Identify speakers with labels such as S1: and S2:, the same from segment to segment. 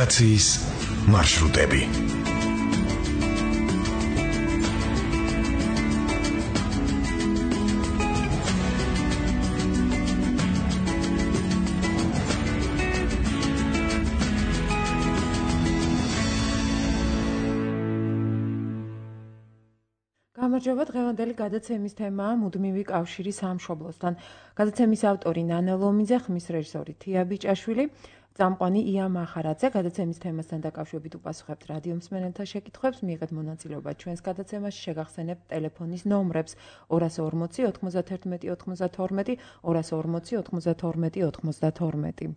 S1: ემიგრაციის მარშრუტები.
S2: გამარჯობა, დღევანდელი გადაცემის თემაა მუდმივი კავშირი სამშობლოსთან. გადაცემის ავტორი ნანა ლომიძე, ხმის რეჟისორი თია ბიჭაშვილი, წამყვანი ია მახარაძე. გადაცემის თემასთან დაკავშირებით უპასუხებთ რადიო მსმენელთა შეკითხვებს, მიიღეთ მონაწილეობა ჩვენს გადაცემაში, შეგახსენებთ ტელეფონის ნომრებს 240 91 92, 240 92 92.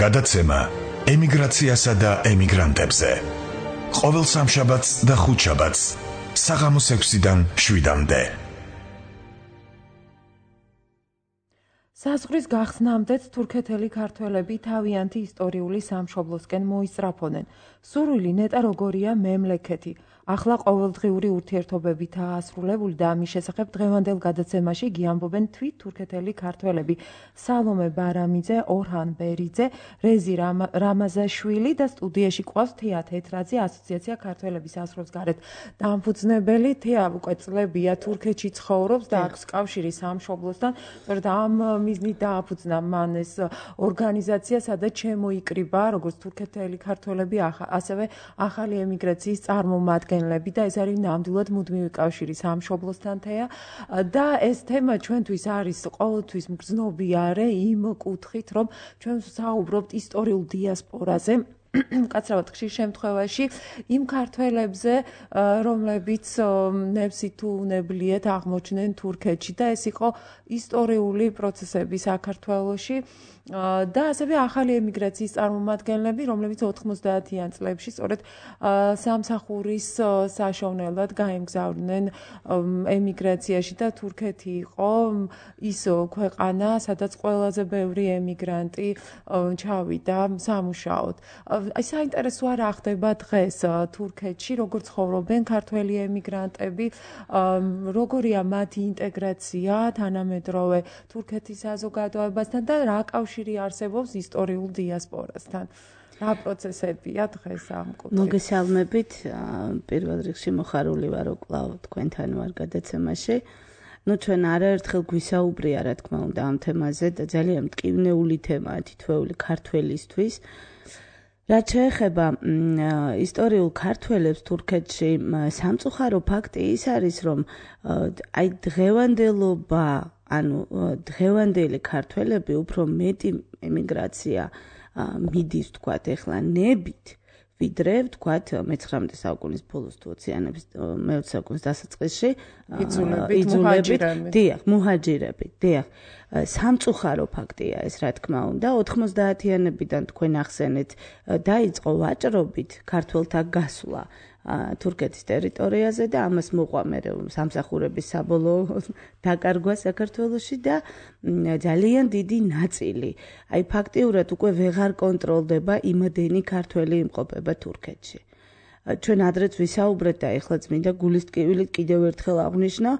S1: გადაცემა ემიგრაციასა და ემიგრანტებზე. ყოველ სამშაბათს და ხუთშაბათს საღამოს 6-დან 7-მდე.
S2: საზღვრის გახსნამდეც თურქეთელი ქართველები თავიანთი ისტორიული სამშობლოსკენ მოისწრაფოდნენ. სურვილი ნეტა როგორია მემლექეთი. ახლა ყოველდღიური ურთიერთობებითაა ასრულებული და ამის შესახებ დღევანდელ გადაცემაში გიამბობენ თვით თურქეთელი ქართველები სალომე ბარამიძე, ორჰან ბერიძე, რეზი რამაზაშვილი და სტუდიაში ყავს თეა თეთრაძე, ასოციაცია ქართველების აზრობს გარეთ დამფუძნებელი. თეა უკვე წლებია თურქეთში ცხოვრობს და აქვს კავშირი სამშობლოსთან. სწორედ ამ მიზნით დააფუძნა მან ეს ორგანიზაცია, სადაც შემოიკრიბა როგორც თურქეთელი ქართველები, ასევე ახალი ემიგრაციის წარმომადგენლები და ეს არის ნამდვილად მუდმივი კავშირი სამშობლოსთან თეა და ეს თემა ჩვენთვის არის ყოველთვის მგრძნობიარე იმ კუთხით, რომ ჩვენ საუბრობთ ისტორიულ დიასპორაზე. კაცრავად ხშირ შემთხვევაში იმ ქართველებზე, რომლებიც ნებსი თუ უნებლიეთ აღმოჩნდნენ თურქეთში და ეს იყო ისტორიული პროცესები საქართველოში და ასევე ახალი ემიგრაციის წარმომადგენლები, რომლებიც 90-იან წლებში სწორედ სამსახურის საშოვნელად გაემგზავრნენ ემიგრაციაში და თურქეთი იყო ის ქვეყანა, სადაც ყველაზე ბევრი ემიგრანტი ჩავიდა სამუშაოდ. საინტერესოა რა ხდება დღეს თურქეთში, როგორ ცხოვრობენ ქართველი ემიგრანტები, როგორია მათი ინტეგრაცია თანამედროვე თურქეთის საზოგადოებასთან და რა კავშირი არსებობს ისტორიულ დიასპორასთან. რა პროცესებია დღეს ამ კუთხით?
S3: მოგესალმებით, პირველ რიგში მოხარული ვარ კვლავ თქვენთან ვარ გადაცემაში. ჩვენ არაერთხელ გვისაუბრია, რა თქმა უნდა, ამ თემაზე და ძალიან მტკივნეული თემაა თითოეული ქართველისთვის. რაც შეეხება ისტორიულ ქართველებს თურქეთში, სამწუხარო ფაქტი ის არის, რომ აი დღევანდელობა, ანუ დღევანდელი ქართველები უფრო მეტი ემიგრაცია მიდის, თქვათ, ახლა ნებით, ვიდრე, ვთქვათ, მე-19 საუკუნის ბოლოს თუ 20-იანების მე-20 საუკუნის დასაწყისში
S2: იძულებით,
S3: მუჰაჯირებით, დიახ. სამწუხარო ფაქტია ეს, რა თქმა უნდა, 90-იანებიდან თქვენ ახსენეთ, დაიწყო ვაჭრობით ქართველთა გასვლა თურქეთის ტერიტორიაზე და ამას მოყვა მე სამსახურების საბოლოო დაკარგვა საქართველოში და ძალიან დიდი ნაწილი. აი ფაქტიურად უკვე ვეღარ კონტროლდება იმდენი ქართველი იმყოფება თურქეთში. ჩვენ ადრეც ვისაუბრეთ და ეხლაც მინდა გულის ტკივილით კიდევ ერთხელ აღვნიშნო,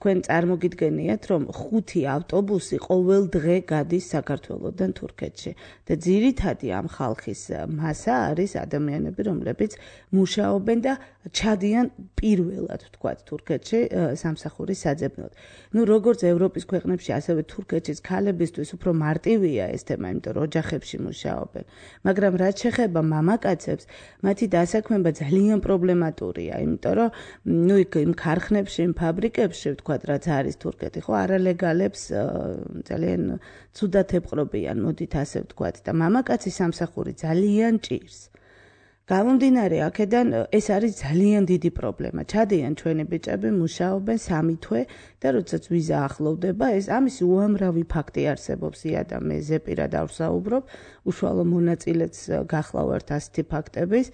S3: თქვენ წარმოგიდგენიათ, რომ 5 ავტობუსი ყოველ დღე გადის საქართველოდან თურქეთში და ძირითადი ამ ხალხის მასა არის ადამიანები, რომლებიც მუშაობენ და ჩადიან პირველად, ვთქვათ, თურქეთში სამსახურის საძებნოდ. როგორც ევროპის ქვეყნებში, ასევე თურქეთის ქალებისთვის უფრო მარტივია ეს თემა, იმიტომ რომ ოჯახებში მუშაობენ. მაგრამ რაც შეეხება მამაკაცებს, მათი საქმეება ძალიან პრობლემატურია, იმიტომ რომ იმ ქარხნებში, იმ ფაბრიკებში, ვთქვათ, რაც არის თურქეთი, ხო, არალეგალებს ძალიან ცუდად ეპყრობიან, მოდით ასე ვთქვათ, და მამაკაცის სამსახური ძალიან ჭირს. გამომდინარე აქედან ეს არის ძალიან დიდი პრობლემა. ჩადიან ჩვენი ბიჭები, მუშაობენ 3 თვე და როდესაც ვიზა ახლოვდება, ეს ამის უამრავი ფაქტი არსებობს. ია და მე ზეპირად ავსაუბრობ, უშუალო მონაწილეც გახლავართ ასეთი ფაქტების.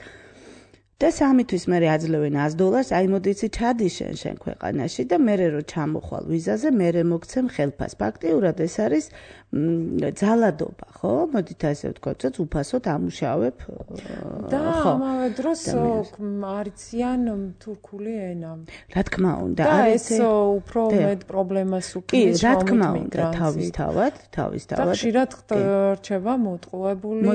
S3: და 3 თვის მერე აძლევენ $100, აი მოდი იცი ჩადი შენ ქვეყანაში და მერე რო ჩამოხვალ ვიზაზე, მერე მოგცემ ხელფას. ფაქტიურად ეს არის ძალადობა, ხო? მოდით ასე ვთქვათ, რომ უფასოდ ამუშავებ,
S2: და ამავე დროს არიციან თურქული ენა.
S3: რა თქმა უნდა,
S2: და ეს უფრო მეტ პრობლემას უქმნის
S3: რა თქმა უნდა, თავისთავად.
S2: ხშირად რჩება მოტყუებული,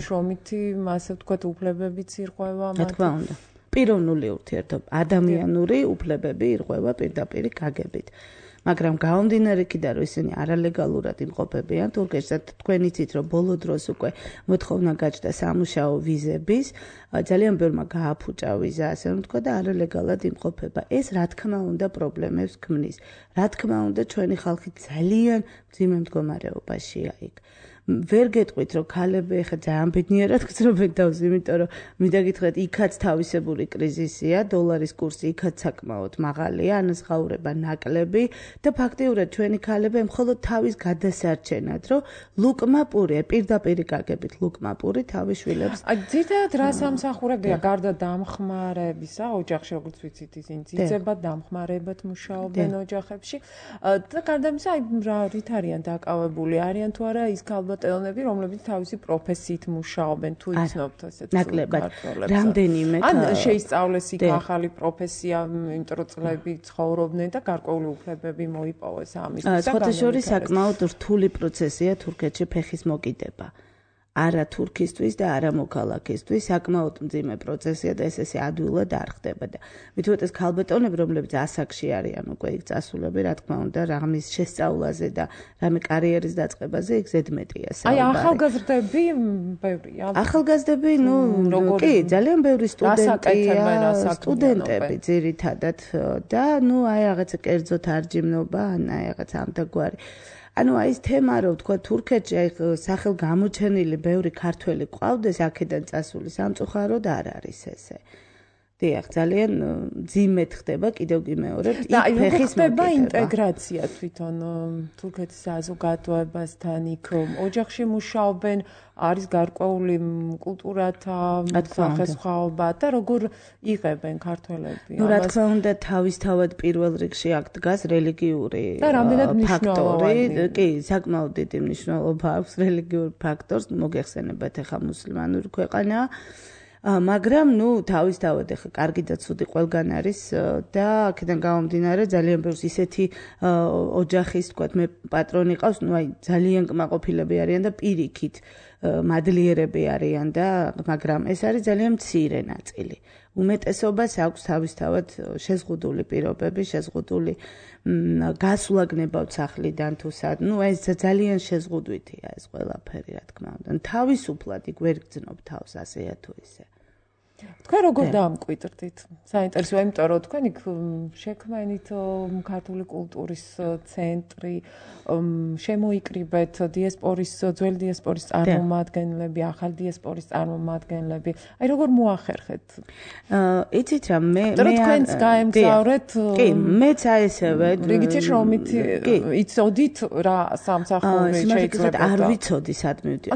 S2: შრომითი, ასე ვთქვათ, უფლებებიც ირღვევა.
S3: რა თქმა უნდა. პიროვნული ურთიერთობა, ადამიანური უფლებები ირღვევა პირდაპირ გაგებით. მაგრამ გამომდინარე იქიდან, რომ ისინი არალეგალურად იმყოფებიან თურქეთში და თქვენ იცით, რომ ბოლო დროს უკვე მოთხოვნა გაჩნდა სამუშაო ვიზების, ძალიან ბევრმა გააფუჭა ვიზა, ასე ვთქვა და არალეგალად იმყოფება. ეს რა თქმა უნდა პრობლემებს ქმნის. რა თქმა უნდა ჩვენი ხალხი ძალიან მძიმე მდგომარეობაშია იქ. ვერ გეტყვით, რომ ქალები ეხა ძალიან ბედნიერად გძნობენ თავს, იმიტომ რომ მინდა გითხრათ, იქაც თავისებური კრიზისია, დოლარის კურსი იქაც საკმაოდ მაღალია, ანაზღაურება ნაკლები და ფაქტიურად ჩვენი ქალები მხოლოდ თავის გადასარჩენად, რომ ლუკმა პური, პირდაპირ გაგებით ლუკმა პური თავის შვილებს.
S2: ძირითადად რა სამსახურებია გარდა დამხმარებისა, ოჯახში როგორც ვიცით, ისინი ძიძებად დამხმარებად მუშაობენ ოჯახებში და გარდა ამისა, რა რით არიან დაკავებული, არიან თუ არა ის ქალბატონები, რომლებიც თავისი პროფესიით მუშაობენ, თუ იცნობთ ასეთ
S3: ქართველებს. რამდენიმე
S2: ან შეისწავლეს იქ ახალი პროფესია, იმიტომ რომ წლები ცხოვრობდნენ და გარკვეული უფლებები მოიპოვეს ამისთვის.
S3: სხვათა შორის საკმაოდ რთული პროცესია თურქეთში ფეხის მოკიდება. არა თურქისთვის და არა მოქალაქისთვის, საკმაოდ მძიმე პროცესია და ეს ადვილად არ ხდება და მით უმეტეს ქალბატონები, რომლებიც ასაკში არიან უკვე იქ წასულები, რა თქმა უნდა, რამის შესწავლაზე და რამე კარიერის დაწყებაზე იქ ზედმეტია საუბარი.
S2: აი ახალგაზრდები ბევრია.
S3: ახალგაზრდები, კი, ძალიან ბევრი სტუდენტები ძირითადად და აი რაღაცა კერძო თარჯიმნობა, აი რაღაცა ამდაგვარი. ანუ აი ეს თემა რომ თქვა თურქეთში აი სახელ გამოჩენილი ბევრი ქართველი ყავდეს აქედან წასული სამწუხაროდ არ არის ესე. დიახ, ძალიან ძიმედ ხდება კიდევ გიმეორებთ იქ ფეხის
S2: ხდება ინტეგრაცია თვითონ თურქეთის საზოგადოებასთან იქ ოჯახში მუშაობენ, არის გარკვეული კულტურათა სახესხვაობა და როგორ იღებენ ქართველები
S3: ამას. რა თქმა უნდა, თავისთავად პირველ რიგში აქ დგას რელიგიური
S2: ფაქტორი.
S3: კი, საკმაოდ დიდი მნიშვნელობა აქვს რელიგიურ ფაქტორს, მოგეხსენებათ ახლა მუსლიმანური ქვეყანაა. მაგრამ თავისთავად ახლა კარგი და ცუდი ყველგან არის და აქედან გამომდინარე ძალიან ბევრს ისეთი ოჯახის თქვათ მე პატრონი ყავს, აი ძალიან კმაყოფილები არიან და პირიქით მადლიერები არიან და მაგრამ ეს არის ძალიან მცირე ნაწილი. უმეტესობას აქვს თავისთავად შეზღუდული პირობები, შეზღუდული გასვლა გნებავთ სახლიდან თუ სად. ეს ძალიან შეზღუდვითია ეს ყველაფერი, რა თქმა უნდა. თავისუფლად იქ ვერ გძნობ თავს ასეა თუ ისე.
S2: თქვენ როგორ დაამკვიდრდით? საინტერესოა, იმიტომ რომ თქვენ იქ შექმენით ქართული კულტურის ცენტრი, შემოიკრიბეთ დიასპორის, ძველი დიასპორის წარმომადგენლები, ახალი დიასპორის წარმომადგენლები. აი როგორ მოახერხეთ?
S3: იცით რა, მე
S2: თქვენც გაემგზავრეთ.
S3: კი, მეც ესევე.
S2: რიგითი შრომით იცოდით რა სამსახური შეიძლება
S3: არ ვიცოდი სად მივიდი.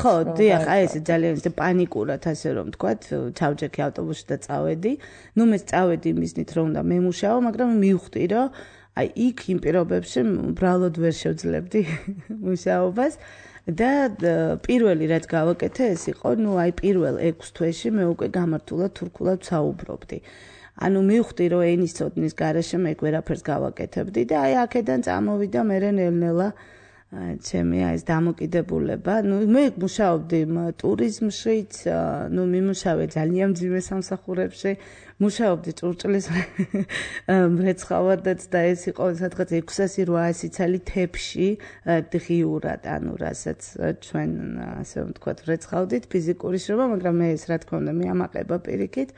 S3: ხო, დიახ, აი ეს ძალიან პანიკურად ასე რომ ვთქვათ, ჩავჯექი ავტობუსში და წავედი. მე წავედი მიზნით რომ უნდა მემუშაო, მაგრამ მივხვდი რომ აი იქ იმ პირობებში უბრალოდ ვერ შევძლებდი მუშაობას და პირველი რაც გავაკეთე ეს იყო, აი პირველ 6 თვეში მე უკვე გამართულად თურქულად ვსაუბრობდი. ანუ მივხვდი რომ ენის ცოდნის გარეშე მე ვერაფერს გავაკეთებდი და აი აქედან წამოვიდა მე ნელ-ნელა ჩემი ეს დამოკიდებულება. მე მუშაობდი ტურიზმშიც, მიმუშავე ძალიან მძიმე სამსახურებში, მუშაობდი ჭურჭლის მრეცხავადაც და ეს იყო სადღაც 600-800 ცალი თეფში დღიურად, ანუ რასაც ჩვენ ასე ვთქვათ მრეცხავდით ფიზიკური შრომა, მაგრამ მე ეს რა თქმა უნდა მიამაყება პირიქით.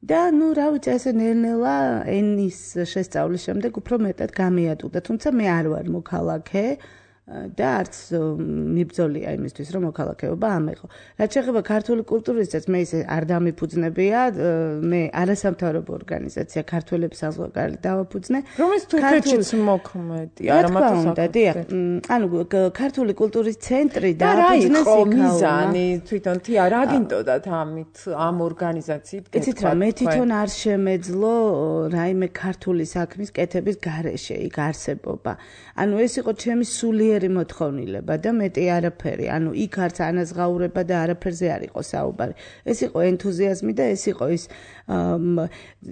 S3: და რა ვიცი, ესე ნელ-ნელა ენის შესწავლის შემდეგ უფრო მეტად გამიატუდა, თუმცა მე არ ვარ მოქალაქე. და არც მიბრძოლია იმისთვის, რომ მოქალაქეობა ამეღო. რაც შეეხება ქართული კულტურისაც, მე ისე არ დამიფუძნებია, მე არასამთავრობო ორგანიზაცია ქართველების საზღვარგარეთ დავაფუძნე.
S2: რომელიც თურქეთშიც მოქმედი, არა
S3: მარტო ანუ ქართული კულტურის ცენტრი
S2: და რა იყო მიზანი თვითონ რა გინდოდათ ამით ამ ორგანიზაციით გეთქვათ?
S3: იცით რა, მე თვითონ არ შემეძლო რაიმე ქართული საქმის კეთების გარეშე იქ არსებობა. ანუ ეს იყო ჩემი სულიერი მოთხოვნილება და მეტი არაფერი. ანუ იქ არც ანაზღაურება და არაფერზე არ იყო საუბარი. ეს იყო ენთუზიაზმი და ეს იყო ის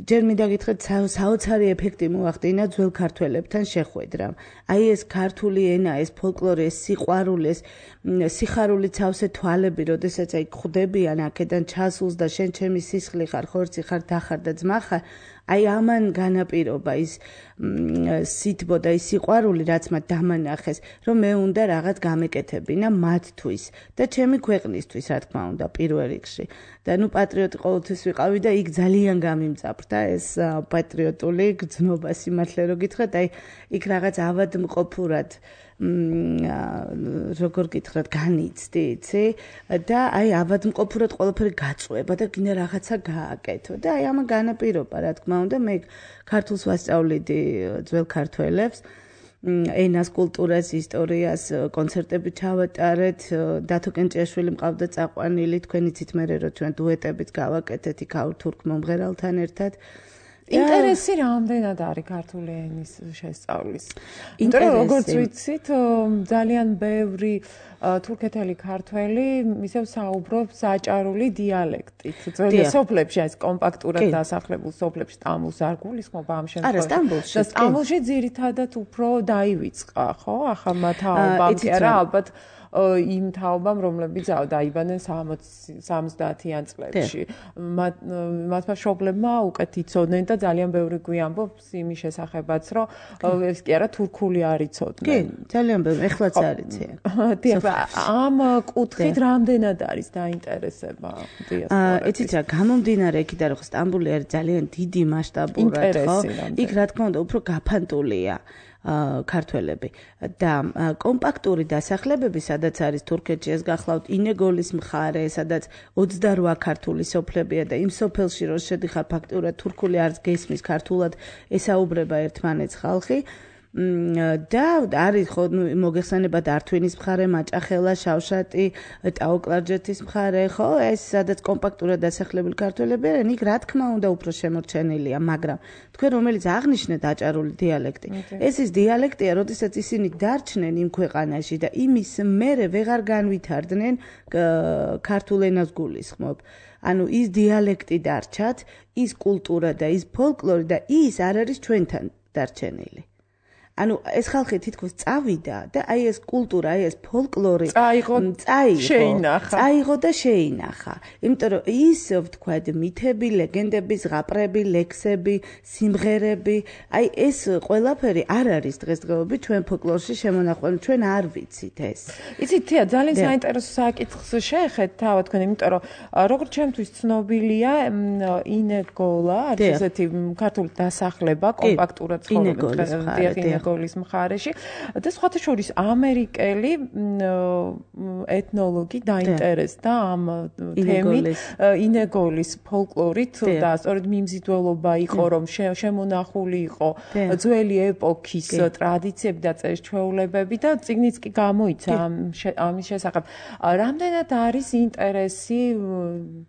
S3: ჯერ მინდა გითხრათ საოცარი ეფექტი მოახდინა ძველ ქართველებთან შეხვედრამ. აი ეს ქართული ენა, ეს ფოლკლორი, ეს სიყვარული, ეს სიხარული ცავსე თვალები, როდესაც აი ხვდებიან აქედან ჩასულს და შენ ჩემი სისხლი ხარ, ხორცი ხარ, დახარ და ძმა ხარ, აი ამან განაპირობა ის სითბო და ის სიყვარული, რაც მათ დამანახეს, რომ მე უნდა რაღაც გამეკეთებინა მათთვის და ჩემი ქვეყნისთვის, რა თქმა უნდა, პირველ რიგში. და ნუ პატრიოტი ყოველთვის ვიყავი და იქ ძალიან გამიმწაფრდა ეს პატრიოტული გრძნობა, სიმართლე რო გითხრათ, აი იქ რაღაც ავადმყოფურად როგორ გითხრათ, განიცდი, იცი? და აი ავადმყოფურად ყველაფერი გაწყვება და გინდა რაღაცა გააკეთო. და აი ამან განაპირობა, რა თქმა უნდა, მე ქართულს ვასწავლიდი ძველ ქართველებს, ენას, კულტურას, ისტორიას, კონცერტები ჩავატარეთ, დათო კენჭიაშვილი მყავდა წაყვანილი, თქვენ იცით მერე რომ ჩვენ დუეტებიც გავაკეთეთ იქ თურქ მომღერალთან ერთად.
S2: ინტერესი რამდენად არის ქართული ენის შესწავლის? იმიტომ რომ როგორც ვიცით, ძალიან ბევრი თურქეთელი ქართველი ისევ საუბრობს საჭარული დიალექტით. ძველი სოფლებში, ეს კომპაქტურად დასახლებულ სოფლებში სტამბულს არ გულისხმობა ამ შემთხვევაში.
S3: არა, სტამბულში.
S2: და სტამბულში ძირითადად უფრო დაივიწყა, ხო? ახალმა თაობამ კი არა, ალბათ იმ თაობამ, რომლებიც დაიბადნენ 70-იან წლებში. მათმა მშობლებმა უკეთ იცოდნენ და ძალიან ბევრი გვიამბობს იმის შესახებაც, რომ ეს კი არა თურქული არ იცოდნენ.
S3: კი, ძალიან ბევრი, ეხლაც არ იციან.
S2: ამ კუთხით რამდენად არის დაინტერესება დიასპორაში?
S3: იცით რა, გამომდინარე იქიდან, რომ სტამბული არის ძალიან დიდი მასშტაბურად, ხო? იქ რა თქმა უნდა უფრო გაფანტულია ქართველები და კომპაქტური დასახლებები, სადაც არის თურქეთში, ეს გახლავთ ინეგოლის მხარე, სადაც 28 ქართული სოფლებია და იმ სოფელში რო შედიხარ ფაქტურად თურქული არც გესმის, ქართულად ესაუბრება ერთმანეთს ხალხი. და არის ხო მოგეხსენებათ ართვინის მხარე, მაჭახელა, შავშატი, ტაო-კლარჯეთის მხარე, ხო? ეს სადაც კომპაქტურად დასახლებული ქართველები არიან, იქ რა თქმა უნდა უფრო შემორჩენილია, მაგრამ თქვენ რომელიც აღნიშნეთ აჭარული დიალექტი, ეს ის დიალექტია, როდესაც ისინი დარჩნენ იმ ქვეყანაში და იმის მერე ვეღარ განვითარდნენ ქართულ ენას გულისხმობ. ანუ ის დიალექტი დარჩათ, ის კულტურა და ის ფოლკლორი და ის არ არის ჩვენთან დარჩენილი. ანუ ეს ხალხი თითქოს წავიდა და აი ეს კულტურა, აი ეს ფოლკლორი
S2: წაიღო და
S3: შეინახა. იმიტომ რომ ის ვთქვათ, მითები, ლეგენდები, ზღაპრები, ლექსები, სიმღერები, აი ეს ყველაფერი არ არის დღესდღეობით ჩვენ ფოლკლორში შემონახული, ჩვენ არ ვიცით ეს.
S2: იცით, თია, ძალიან საინტერესო საკითხს შეეხეთ თავად თქვენ, იმიტომ რომ როგორც ჩემთვის ცნობილია, ინეგოლა, არის ესეთი ქართული დასახლება, კომპაქტურად ცხოვრობენ ინეგოლის მხარეში და სხვათა შორის ამერიკელი ეთნოლოგი დაინტერესდა ამ თემით, ინეგოლის ფოლკლორით და სწორედ მიმზიდველობა იყო, რომ შემონახული იყო ძველი ეპოქის ტრადიციები და წერის-ჩვეულებები და წიგნიც კი გამოიცა ამის შესახებ. რამდენად არის ინტერესი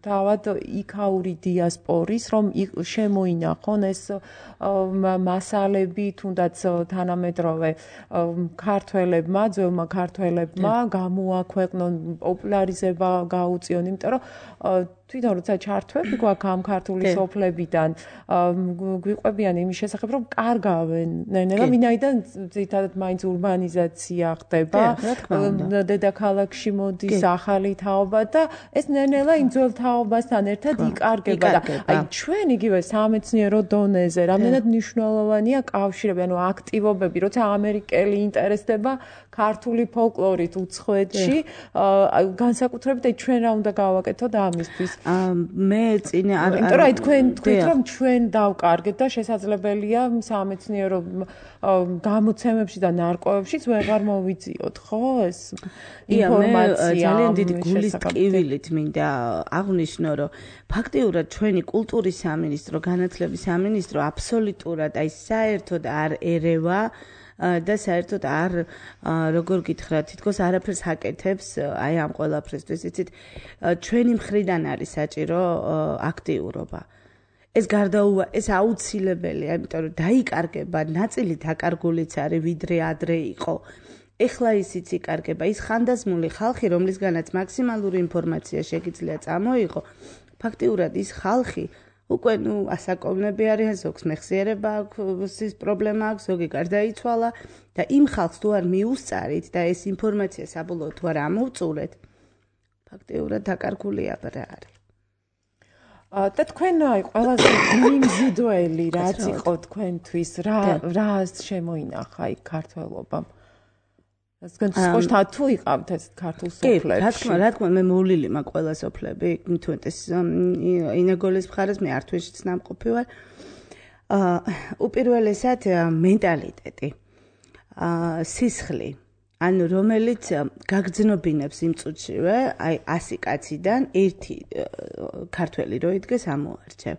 S2: თავად იქაური დიასპორის, რომ შემოინახონ ეს მასალები, თუნდაც თანამედროვე ქართველებმა, ძველმა ქართველებმა გამოაქვეყნონ, პოპულარიზება გაუწიონ, იმიტომ რომ თვითონ როცა ჩართვები გვაქვს ამ ქართული სოფლებიდან, გვიყვებიან იმის შესახებ, რომ კარგავენ ნელა, ვინაიდან ძირითადად მაინც ურბანიზაცია ხდება, დედაქალაქში მოდის ახალი თაობა და ეს ნელა იმ ძველ თაობასთან ერთად იკარგება და აი ჩვენ იგივე სამეცნიერო დონეზე რამდენად მნიშვნელოვანია კავშირები, ანუ აქტივობები, როცა ამერიკელი ინტერესდება ქართული ფოლკლორით უცხოეთში, განსაკუთრებით ჩვენ რა უნდა გავაკეთოთ ამისთვის?
S3: მე წინ არ
S2: იმიტომ რომ თქვენ თქვით რომ ჩვენ დავკარგეთ და შესაძლებელია სამეცნიერო გამოცემებში და ნარკვევებშიც ვეღარ მოვიძიოთ, ხო ეს ინფორმაცია.
S3: ძალიან დიდი გულის ტკივილით მინდა აღვნიშნო, რომ ფაქტიურად ჩვენი კულტურის სამინისტრო, განათლების სამინისტრო აბსოლუტურად აი საერთოდ არ ერევა და საერთოდ არ როგორ გითხრათ, თითქოს არაფერს აკეთებს აი ამ ყველაფრისთვის, იცით, ჩვენი მხრიდან არის საჭირო აქტიურობა. ეს აუცილებელია, იმიტომ რომ დაიკარგება, ნაწილი დაკარგულიც არის, ვიდრე ადრე იყო. ეხლა ისიც იკარგება, ის ხანდაზმული ხალხი, რომლისგანაც მაქსიმალური ინფორმაცია შეგიძლია წამოიღო, ფაქტიურად ის ხალხი უკვე ასაკოვნები არიან, ზოგს მეხსიერება აქვს, პრობლემა აქვს, ზოგი გარდაიცვალა და იმ ხალხს თუ არ მიუსწარით და ეს ინფორმაცია საბოლოოდ თუ არ ამოვწურეთ, ფაქტიურად დაკარგული აბრა არის.
S2: და თქვენ აი ყველაზე მიმზიდველი რაც იყო თქვენთვის, რა შემოინახა იქ ქართველობამ? სკოშთა თუ იყავთ ეს ქართულ სოფლებში?
S3: კი, რა თქმა, მე მოვლილი მაქვს ყველა სოფლები, თუნდაც ინეგოლის მხარეს მე ართვეშიც ნამყოფი ვარ. უპირველესად მენტალიტეტი, სისხლი, ანუ რომელიც გაგრძნობინებს იმ წუთშივე, აი 100 კაციდან ერთი ქართველი რო იდგეს ამოარჩევ.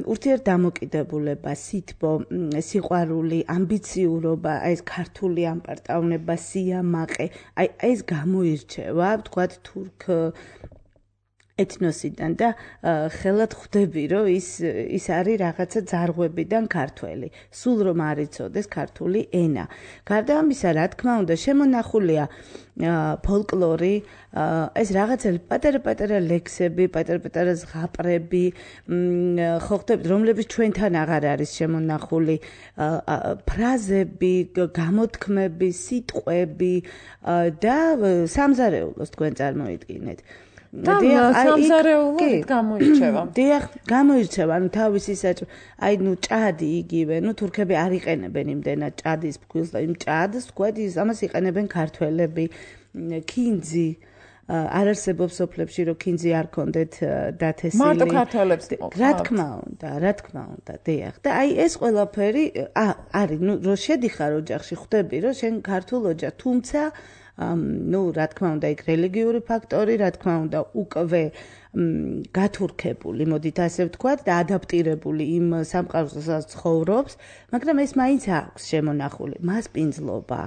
S3: ურთიერთდამოკიდებულება, სითბო, სიყვარული, ამბიციურობა, აი ეს ქართული ამპარტავნება, სიამაყე, აი ეს გამოირჩევა, ვთქვათ, თურქ ეთნოსიდან და ხელად ხვდები, რომ ის არის რაღაცა ძარღვებიდან ქართველი. სულ რომ არ იცოდეს ქართული ენა. გარდა ამისა, რა თქმა უნდა, შემონახულია ფოლკლორი, ეს რაღაცა პატარა-პატარა ლექსები, პატარა-პატარა ზღაპრები, ხო ხდებით, რომლებიც ჩვენთან აღარ არის შემონახული, ფრაზები, გამოთქმები, სიტყვები და სამზარეულოს თქვენ წარმოიდგინეთ.
S2: და სამზარეულოდ გამოირჩევა.
S3: დიახ, გამოირჩევა, ანუ თავისი აი ჭადი იგივე, თურქები არ იყენებენ იმდენად ჭადის ფქვილს და იმ ჭადს, თქვათ, ამას იყენებენ ქართველები, ქინძი. არ არსებობს სოფლებში, რომ ქინძი არ ქონდეთ დათესილი.
S2: მარტო ქართველებს
S3: რა თქმა უნდა, დიახ. და აი ეს ყველაფერი არის, რო შედიხარ ოჯახში, ხვდები, რომ შენ ქართულ ოჯახ, თუმცა რა თქმა უნდა, იქ რელიგიური ფაქტორი, რა თქმა უნდა, უკვე გათურქებული, მოდით ასე ვთქვათ, და ადაპტირებული იმ სამყაროს, სადაც ცხოვრობს, მაგრამ ეს მაინც აქვს შემონახული, მასპინძლობა,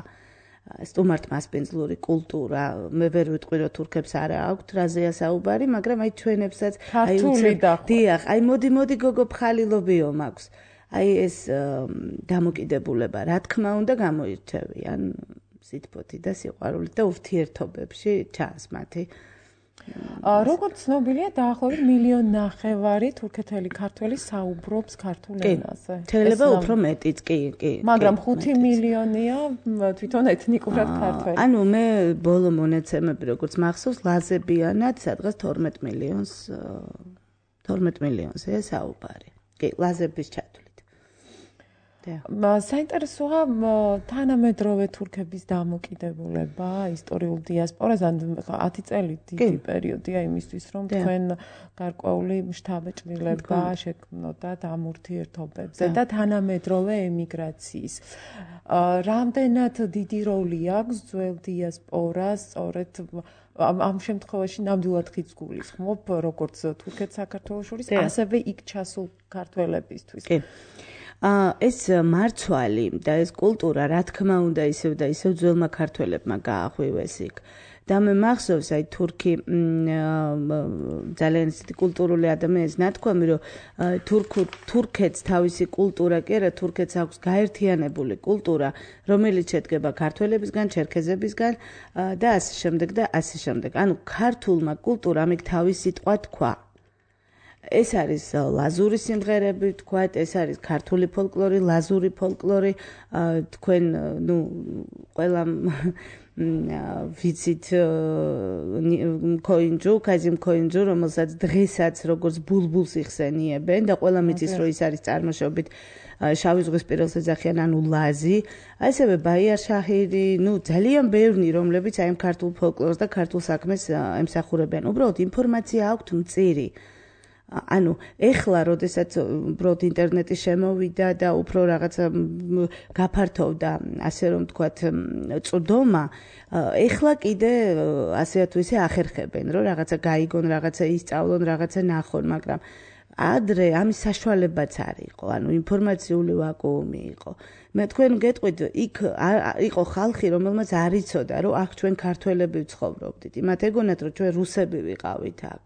S3: სტუმართმასპინძლური კულტურა, მე ვერ ვიტყვი, რომ თურქებს არა აქვთ რაზეა საუბარი, მაგრამ აი ჩვენებსაც
S2: აი
S3: დიახ, აი მოდი გოგო ფხალილობიო მაქვს. აი ეს დამოკიდებულება, რა თქმა უნდა, გამოირჩევიან სითბოთი და სიყვარულით და ურთიერთობებში ჩანს მათი.
S2: როგორც ცნობილია, დაახლოებით 1.5 მილიონი თურქეთელი ქართველი საუბრობს ქართულ ენაზე.
S3: შეიძლება უფრო მეტიც, კი.
S2: მაგრამ 5 მილიონია თვითონ ეთნიკურად ქართველი.
S3: ანუ მე ბოლო მონაცემები როგორც მახსოვს, ლაზებიანად სადღაც 12 მილიონზეა საუბარი. კი, ლაზების ჩათვლით.
S2: საინტერესოა თანამედროვე თურქების დამოკიდებულება ისტორიულ დიასპორაზე, 10 წელი დიდი პერიოდია იმისთვის, რომ თქვენ გარკვეული შთაბეჭდილება შექმნოდათ ამ ურთიერთობებზე და თანამედროვე ემიგრაციის. რამდენად დიდი როლი აქვს ძველ დიასპორას, სწორედ ამ შემთხვევაში ნამდვილად ხიდს გულისხმობ, როგორც თურქეთ საქართველოს შორის, ასევე იქ ჩასულ ქართველებისთვის.
S3: ეს მარცვალი და ეს კულტურა, რა თქმა უნდა, ისევ და ისევ ძველმა ქართველებმა გაახვივეს იქ. და მე მახსოვს, აი თურქი ძალიან ისეთი კულტურული ადამიანის ნათქვამი, რომ თურქეთს თავისი კულტურა კი არა, თურქეთს აქვს გაერთიანებული კულტურა, რომელიც შედგება ქართველებისგან, ჩერქეზებისგან და ასე შემდეგ და ასე შემდეგ. ანუ ქართულმა კულტურამ იქ თავისი სიტყვა თქვა. ეს არის ლაზური სიმღერები, თქვათ, ეს არის ქართული ფოლკლორი, ლაზური ფოლკლორი, თქვენ, ყველამ ვიცით ქაიზიმ ქოინჯუ, რომელსაც დღესაც როგორც ბულბულს იხსენიებენ და ყველამ იცის, რომ ის არის წარმოშობით შავი ზღვის პირველ ეძახიან, ანუ ლაზი, ასევე ბაიარ შაჰირი, ძალიან ბევრი, რომლებიც აი ამ ქართულ ფოლკლორს და ქართულ საქმეს ემსახურებიან. უბრალოდ ინფორმაცია აქვთ მწირი. ანუ ეხლა, როდესაც უბრალოდ ინტერნეტი შემოვიდა და უფრო რაღაცა გაფართოვდა, ასე რომ თქვათ, წვდომა, ეხლა კიდე ასეა თუ ისე ახერხებენ, რომ რაღაცა გაიგონ, რაღაცა ისწავლონ, რაღაცა ნახონ, მაგრამ ადრე ამის საშუალებაც არ იყო, ანუ ინფორმაციული ვაკუუმი იყო. მე თქვენ გეტყვით, იქ იყო ხალხი, რომელმაც არ იცოდა, რომ აქ ჩვენ ქართველები ვცხოვრობდით. იმათ ეგონათ, რომ ჩვენ რუსები ვიყავით აქ.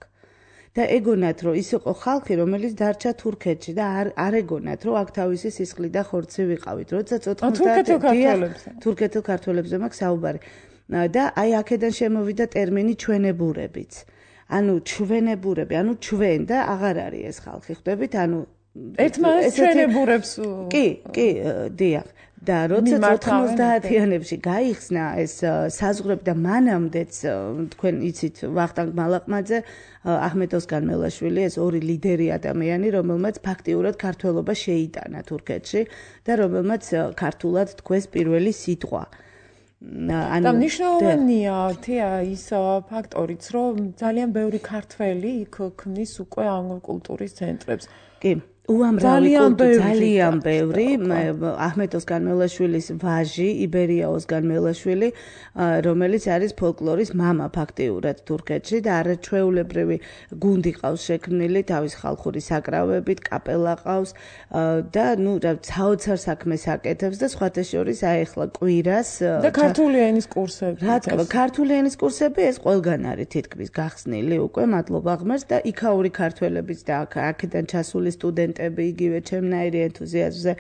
S3: და ეგონათ, რომ ის იყო ხალხი, რომელიც დარჩა თურქეთში და არ ეგონათ, რომ აქ თავისი სისხლი და ხორცი ვიყავით. როდესაც 90 თურქეთელ ქართველებზე მაქვს საუბარი. და აი აქედან შემოვიდა ტერმინი ჩვენებურებიც. ანუ ჩვენებურები, ანუ ჩვენ და აღარ არის ეს ხალხი, ხვდებით? ანუ
S2: ერთმანეთს ჩვენებურებს.
S3: კი, დიახ. და როდესაც 90-იანებში გაიხსნა ეს საზღვრები და მანამდეც თქვენ იცით ვახტანგ მალაყმაძე, აჰმედ ოსგან მელაშვილი, ეს ორი ლიდერი ადამიანი, რომელმაც ფაქტიურად ქართველობა შეიტანა თურქეთში და რომელმაც ქართულად თქვეს პირველი სიტყვა.
S2: და მნიშვნელოვანია ის ფაქტორიც, რომ ძალიან ბევრი ქართველი იქ ქმნის უკვე ამ კულტურის ცენტრებს.
S3: კი. ძალიან ბევრი აჰმედ ოსგან მელაშვილის ვაჟი იბერია ოსგან მელაშვილი, რომელიც არის ფოლკლორის მამა ფაქტიურად თურქეთში და არაჩვეულებრივი გუნდი ყავს შექმნილი თავის ხალხური საკრავებით, კაპელა ყავს და საოცარ საქმეს აკეთებს და სხვათა შორის აეხლა კვირას
S2: და ქართული ენის კურსები.
S3: რა თქმა, ქართული ენის კურსები ეს ყველგან არის თითქმის გახსნილი უკვე, მადლობა ღმერთს და იქაური ქართველებიც და აქედან ჩასული სტუდენტები იგივე ჩემნაირი ენთუზიაზმზე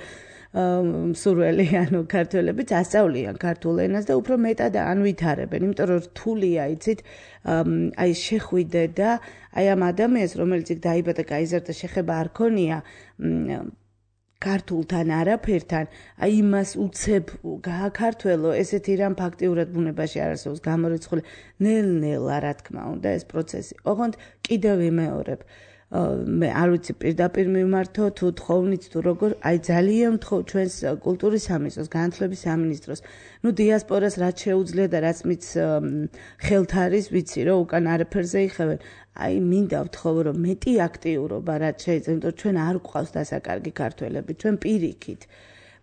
S3: მსურველი, ანუ ქართველებიც ასწავლიან ქართულ ენას და უფრო მეტად ანვითარებენ, იმიტომ რომ რთულია, იცით, აი შეხვიდე და აი ამ ადამიანს, რომელიც იქ დაიბადა, გაიზარდა, შეხება არ ქონია ქართულთან არაფერთან, აი იმას უცებ გააქართველო, ესეთი რამ ფაქტიურად ბუნებაში არ არსებობს გამორიცხული, ნელ-ნელა, რა თქმა უნდა, ეს პროცესი. ოღონდ კიდევ ვიმეორებ, მე არ ვიცი პირდაპირ მიმართო თუ თხოვნით თუ როგორ, აი ძალიან ვთხოვ ჩვენს კულტურის სამინისტროს, განათლების სამინისტროს, დიასპორას რაც შეუძლია და რაც მის ხელთ არის, ვიცი რომ უკან არაფერზე იხევენ. აი მინდა ვთხოვ რომ მეტი აქტიურობა რაც შეიძლება, იმიტომ ჩვენ არ გვყავს დასაკარგი ქართველები, ჩვენ პირიქით.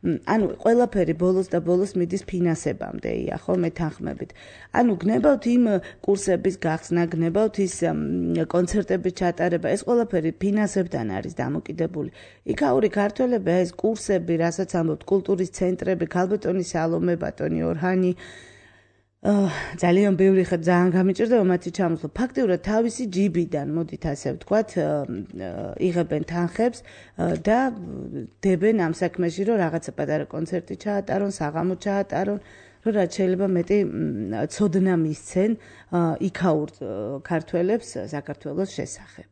S3: ანუ ყველაფერი ბოლოს და ბოლოს მიდის ფინანსებამდეია, ხო, მეთანხმებით. ანუ გნებავთ იმ კურსების გახსნა, გნებავთ ის კონცერტების ჩატარება, ეს ყველაფერი ფინანსებთან არის დამოკიდებული. იქაური ქართველები, ეს კურსები, რასაც ამბობთ, კულტურის ცენტრები, ქალბატონი სალომე, ბატონი ორჰანი, ძალიან ბევრი ხარ ძალიან გამიჭირდება მათი ჩამოსვლა. ფაქტიურად თავისი ჯიბიდან, მოდით ასე ვთქვათ, იღებენ თანხებს და დებენ ამ საქმეში, რომ რაღაცა პატარა კონცერტი ჩაატარონ, საღამო ჩაატარონ, რომ რაც შეიძლება მეტი ცოდნა მისცენ იქაურ ქართველებს საქართველოს შესახებ.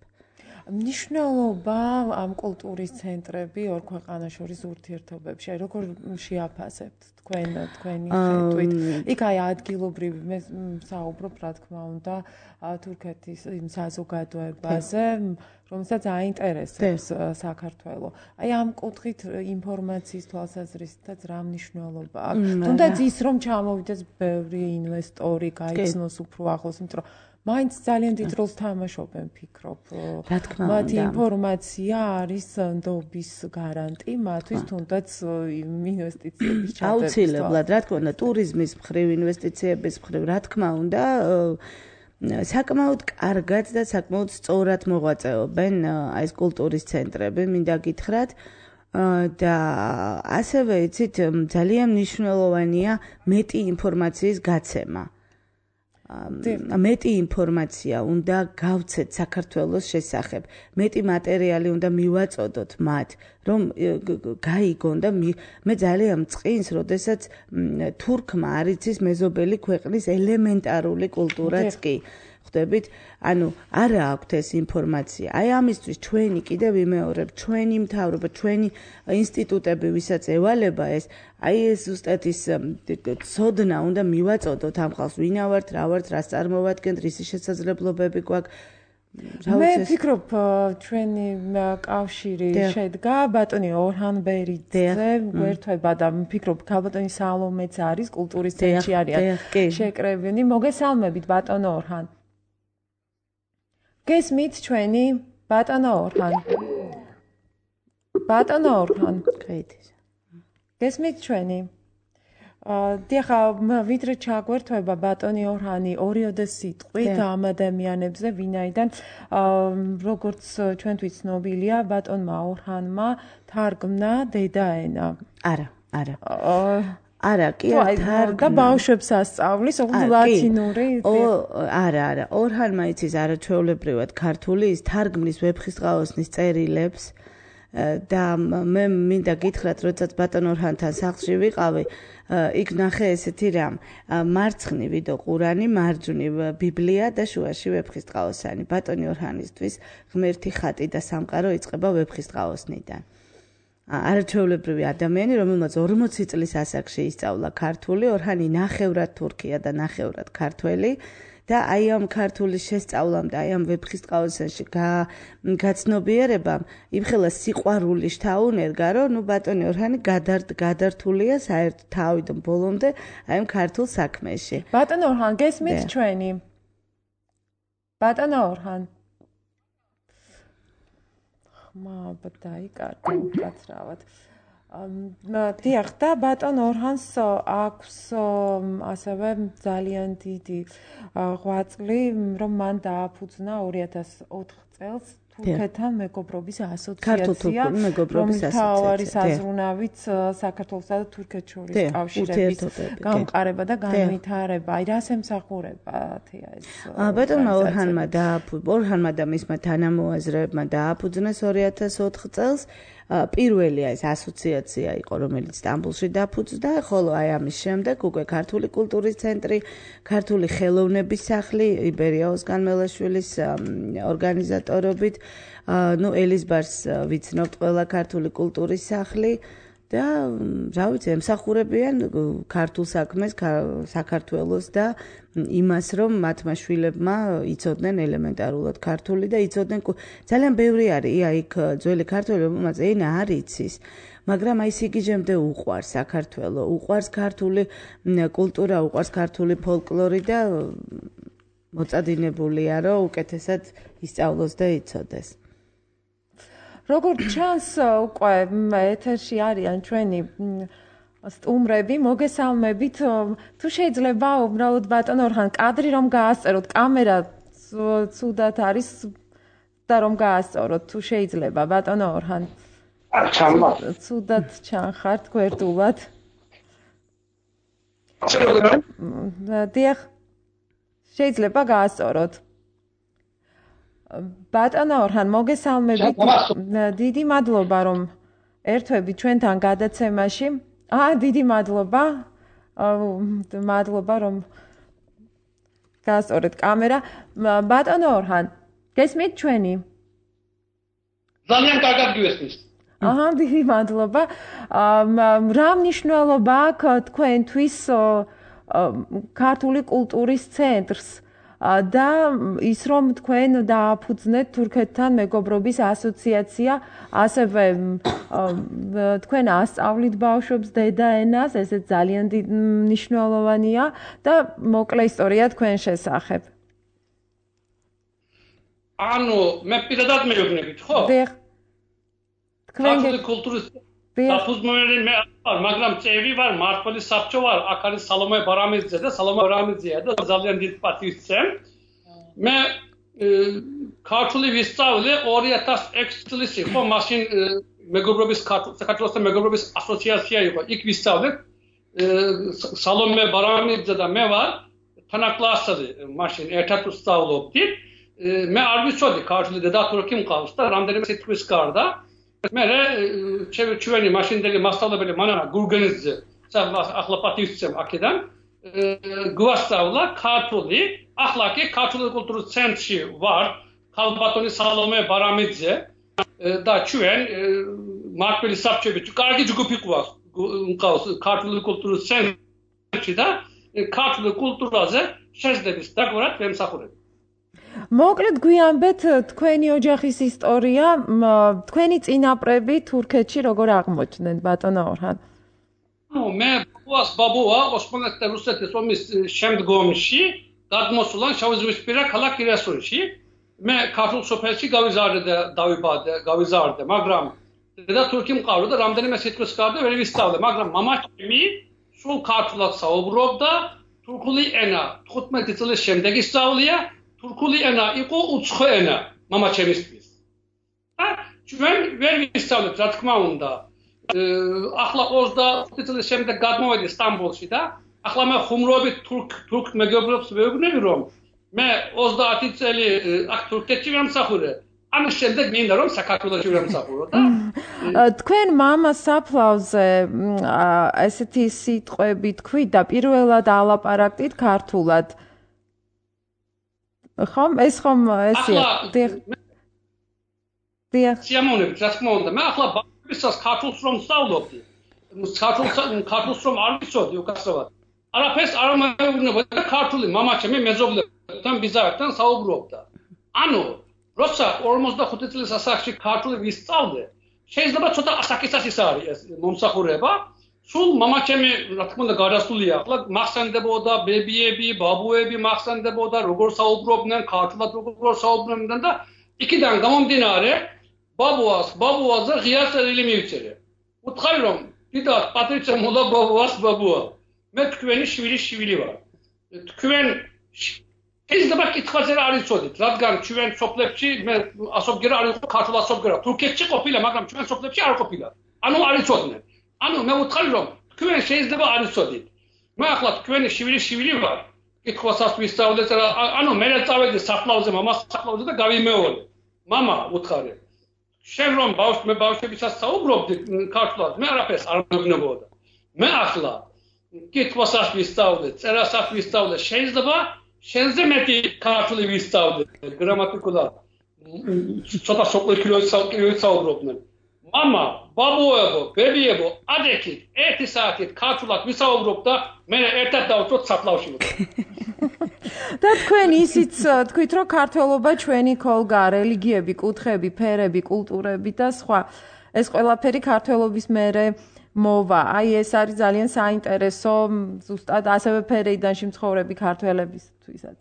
S2: მნიშვნელობა ამ კულტურის ცენტრები ორ ქვეყანას შორის ურთიერთობებში, როგორ შეაფასებთ თქვენი ხედვით? იქ აი ადგილობრივი, მე საუბრობ რა თქმა უნდა თურქეთის იმ საზოგადოებაზე, რომელსაც აინტერესებს საქართველო. აი ამ კუთხით ინფორმაციის თვალსაზრისითაც რა მნიშვნელობა აქვს? თუნდაც ის რომ ჩამოვიდეს ბევრი ინვესტორი, გაიცნოს უფრო ახლოს, იმიტომ რომ მაინც ძალიან დიდ როლს თამაშობენ, ფიქრობ. მათი ინფორმაცია არის ნდობის გარანტი მათთვის, თუნდაც ინვესტიციების ჩაწერის.
S3: აუცილებლად, რა თქმა უნდა, ტურიზმის მხრივ, ინვესტიციების მხრივ, რა თქმა უნდა, საკმაოდ კარგად და საკმაოდ სწორად მოღვაწეობენ ეს კულტურის ცენტრები, მინდა გითხრათ. და ასევე იცით, ძალიან მნიშვნელოვანია მეტი ინფორმაციის გაცემა. მეტი ინფორმაცია უნდა გავცეთ საქართველოს შესახებ, მეტი მატერიალი უნდა მივაწოდოთ მათ, რომ გაიგონ და მე ძალიან მწყინს, როდესაც თურქმა არ იცის მეზობელი ქვეყნის ელემენტარული კულტურაც კი. ხვდებით, ანუ არა აქვთ ეს ინფორმაცია. აი ამისთვის ჩვენი კიდევ ვიმეორებ, ჩვენი მთავრობა, ჩვენი ინსტიტუტები, ვისაც ევალება ეს, აი ეს ზუსტად ის ცოდნა უნდა მივაწოდოთ ამ ხალხს, ვინა ვართ, რა ვართ, რას წარმოვადგენთ, რისი შესაძლებლობები გვაქვს.
S2: მე ვფიქრობ, ჩვენი კავშირი შედგა ბატონი ორჰან ბერიძე გვერდება და ვფიქრობ, ქალბატონი სალომეც არის კულტურის ცენტრში არიან შეკრებილი. მოგესალმებით ბატონო ორჰან. გესმით ჩვენი ბატონო ორჰან. ბატონო ორჰან. გესმით ჩვენი. დიახ, ვიდრე ჩაგვერთვება ბატონი ორჰანი ორიოდე სიტყვით ამ ადამიანებზე, ვინაიდან როგორც ჩვენთვის ცნობილია, ბატონმა ორჰანმა თარგმნა დედაენა. არა, კი და ბავშვებს ასწავლის ლათინური.
S3: არა, ორჰანმა იცის არაჩვეულებრივად ქართული, ის თარგმნის ვეფხისტყაოსნის წერილებს. და მე მინდა გითხრათ, როდესაც ბატონ ორჰანთან სახლში ვიყავი, იქ ნახე ესეთი რამ, მარცხნივ ვიდო ყურანი, მარჯვნივ ბიბლია და შუაში ვეფხისტყაოსანი. ბატონი ორჰანისთვის ღმერთი ხატი და სამყარო იწყება ვეფხისტყაოსნიდან. არაჩვეულებრივი ადამიანი, რომელმაც 40 წლის ასაკში ისწავლა ქართული, ორჰანი ნახევრად თურქია და ნახევრად ქართველი. და აი ამ ქართული შესწავლამ და აი ამ ვეფხისტყაოსანში გაცნობიერებამ იმხელა სიყვარული შთაუნერგა, რომ ბატონი ორჰანი გადართულია საერთოდ თავიდან ბოლომდე აი ამ ქართულ საქმეში.
S2: ბატონო ორჰან, გესმით ჩვენი? ბატონო ორჰან. ხმა დაიკარგა უკაცრავად. დიახ, და ბატონ ორჰანს აქვს ასევე ძალიან დიდი ღვაწლი, რომ მან დააფუძნა 2004 წელს თურქეთთან მეგობრობის ასოციაცია, რომლის მთავარი საზრუნავიც საქართველოსა და თურქეთს შორის კავშირების გამყარება და განვითარება. აი რას ემსახურებათია ეს?
S3: ბატონმა ორჰანმა და მისმა თანამოაზრეებმა დააფუძნეს 2004 წელს. პირველი ეს ასოციაცია იყო, რომელიც სტამბოლში დაფუძნდა, ხოლო აი ამის შემდეგ უკვე ქართული კულტურის ცენტრი, ქართული ხელოვნების სახლი იბერია ოსგან-მელაშვილის ორგანიზატორობით, ელიზბარს ვიცნობთ ყველა ქართული კულტურის სახლი და რა ვიცი, ემსახურებიან ქართულ საქმეს, საქართველოს და იმას, რომ მათმა შვილებმა იცოდნენ ელემენტარულად ქართული და იცოდნენ ძალიან ბევრი არის იქ ძველი ქართველი, რომელმაც ენა არ იცის, მაგრამ აი სიგიჟემდე უყვარს საქართველო, უყვარს ქართული კულტურა, უყვარს ქართული ფოლკლორი და მოწადინებულია, რომ უკეთესად ისწავლოს და იცოდეს.
S2: როგორც ჩანს, უკვე ეთერში არიან ჩვენი სტუმრები, მოგესალმებით. თუ შეიძლება უბრალოდ ბატონ ორჰან კადრი რომ გაასწეროთ, კამერა ცუდად არის და რომ გაასწოროთ, თუ შეიძლება ბატონ ორჰან. ცუდად ჩანხართ გვერდულად. დიახ, შეიძლება გაასწოროთ. ბატონო ორჰან, მოგესალმებით. დიდი მადლობა, რომ ერთვებით ჩვენთან გადაცემაში. დიდი მადლობა. მადლობა, რომ გაასწორეთ კამერა. ბატონო ორჰან, გესმით ჩვენი?
S4: ძალიან კარგად გიესმის.
S2: დიდი მადლობა. რა მნიშვნელობა აქვს თქვენთვის ქართული კულტურის ცენტრს? და ის რომ თქვენ დააფუძნეთ თურქეთთან მეგობრობის ასოციაცია, ასევე თქვენ ასწავლით ბავშვებს დედაენას, ესეც ძალიან მნიშვნელოვანია და მოკლე ისტორია თქვენ შესახებ.
S4: ანუ მე პირადად მეუბნებით, ხო?
S2: დიახ.
S4: ქართული კულტურის საფუძვლელი მე ვარ, მაგრამ წევრი ვარ, მმართველი საბჭო ვარ, აქ არის სალომე ბარამიძე და სალომე ბარამიძეა და ძალიან დიდ პატივს ვცემ. მე ქართული ვისწავლე 2006 წლის იყო, მაშინ მეგობრობის საქართველოსთან მეგობრობის ასოციაცია იყო. იქ ვისწავლე სალომე ბარამიძე და მე ვარ თანაკლასელი, მაშინ ერთად ვსწავლობდით. მე არ ვიცოდი ქართული და თურქი მყავს და რამდენიმე სიტყვის გარდა. მე ჩვენი მაშინდელი მასწავლებელი მანანა გურგენიძე ახლა პატივს ვცემ აქედან გვასწავლა ქართული, ახლა კი ქართული კულტურის ცენტრში ვარ, ქალბატონი სალომე ბარამიძე და ჩვენ მართლმადიდებელი საბჭოები კარგი ჯგუფი ყავს ქართული კულტურის ცენტრში და ქართული კულტურაზე შეძლების დაგვარად ვემსახურები.
S2: მოკლედ გვიანბეთ თქვენი ოჯახის ისტორია, თქვენი წინაპრები თურქეთში როგორ აღმოჩნდნენ, ბატონო ორჰან?
S4: მე ბაბუა ოსმალეთის რუსეთის ომის შემდგომში გადმოსულა შავიზღვისპირა ქალაქ ირასუნში. მე ქართულ სოფელში გავიზარდე, მაგრამ და თურქი მყავდა და რამდენიმე სიტყვის გარდა ვერ ვისწავლე, მაგრამ მამაჩემი სულ ქართულად საუბრობდა, თურქული ენა 15 წლის შემდეგ ისწავლია, თურქული ენა იყო უცხო ენა მამაჩემისთვის. და ჩვენ ვერ ვისწავლეთ, რა თქმა უნდა. ახლა 20 წლის შემდეგ გადმოვედი სტამბოლში და ახლა მე ხუმრობით თურქ მეგობრებს ვეუბნები, რომ მე 30 წელი აქ თურქეთში ვამსახურე. ამის შემდეგ მინდა რომ საქართველოში ვამსახურო და
S2: თქვენ მამას საფლავზე ესეთი სიტყვები თქვით და პირველად ალაპარაკდით ქართულად. ხომ ეს ხომ ესია? დიახ.
S4: სიამოვნებით, რა თქმა უნდა. მე ახლა ბავშვისას ქართულს რომ ვსწავლობდი. ქართულს რომ არ ვიცოდი უკაცრავად. არაფერს არ მეუბნებოდა ქართული მამაჩემი მეზობლებთან ბიზართან საუბრობდა. ანუ როცა 45 წლის ასაკში ქართული ვისწავლე, შეიძლება ცოტა ასაკისას ის არის ეს მომსახურება. სულ მამაჩემი, რა თქმა უნდა, გადასულია. ახლა მახსენდებოდა ბებიები, ბაბუები მახსენდებოდა, როგორ საუბრობდნენ, ქართულად როგორ საუბრობდნენ და იქიდან გამომდინარე, ბაბუაზე ღია წერილი მივიწერე. უთხარი რომ, დიდად პატრიცია მოლა ბაბუა. მე თქვენი შვილი ვარ. თქვენ შეიძლება კითხვაზე არ იცოდით, რადგან ჩვენ სოფლებში მე ასობგერა არ იყო ქართულ ასობგერა. თურქეთში ყოფილა, მაგრამ ჩვენ სოფლებში არ ყოფილა. ანუ არ იცოდნენ. ანუ მე ვუთხარი რომ თქვენ შეიძლება არ იცოდით. მე ახლა თქვენი შვილი ვარ. კითხვასაც ვისწავლეთ, ანუ მე წავედი საფლავზე, მამას საფლავზე და გავიმეორე. მამა ვუთხარი. შენ რომ ბავშვებისაც საუბრობდი ქართულად, მე არაფერს არ მეგნებოდა. მე ახლა კითხვასაც ვისწავლე, წერასაც ვისწავლე, შეიძლება შენზე მეტი ქართული ვისწავლე, გრამატიკულად. ცოტა სოკლიქილოც საუბრობდნენ. მამა, ბაბუებო, ბებიებო, ადექით, 1 საათით ქართულად ვისაუბრობ და მე ერთად დავწვოთ საფლავში.
S2: და თქვენ ისიც თქვით, რომ ქართველობა ჩვენი ქოლგაა, რელიგიები, კუთხეები, ფერები, კულტურები და სხვა. ეს ყველაფერი ქართველობის მერე მოვა. აი ეს არის ძალიან საინტერესო, ზუსტად ასევე ფერეიდანში მცხოვრები ქართველებისთვისაც.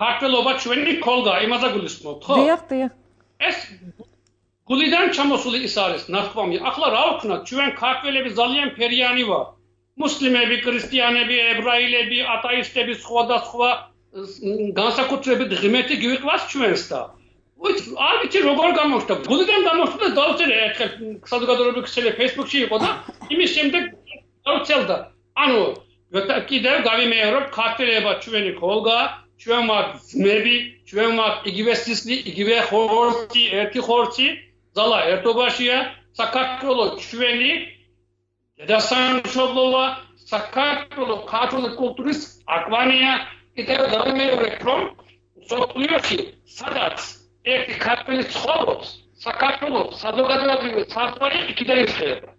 S4: ქართველობა ჩვენი ქოლგაა, იმაზე გულისხმობთ, ხო?
S2: დიახ.
S4: ეს გულიდან ჩამოსული ის არის, ნათქვამი. ახლა რა ვქნათ, ჩვენ ქართველები ძალიან ფერიანი ვარ. მუსლიმები, ქრისტიანები, ებრაელები, ათეისტები, სხვადასხვა განსაკუთრებით ღმერთი გვიყვარს ჩვენს და არ ვიცი როგორ გამოხდა. გულიდან გამოხდა და დავწერე ერთხელ საზოგადოებრივი ქსელი Facebook-ში იყო და იმის შემდეგ დავწერდა. ანუ კიდევ გავიმეორებ, ქართველობა ჩვენი ქოლგაა, ჩვენ ვართ ძმები, ჩვენ ვართ იგივე სისხლი, იგივე ხორცი, ერთი ხორცი, ძალა ერთობაშია, საქართველოს ჩვენი დედასამშობლოა, საქართველოს ქართული კულტურის აკვანია, კიდევ გავიმეორებ, რომ სოფლიოში სადაც ერთი ქართველი ცხოვრობს, საქართველოს საზოგადოებრივი საზღვარი იქიდან იხება.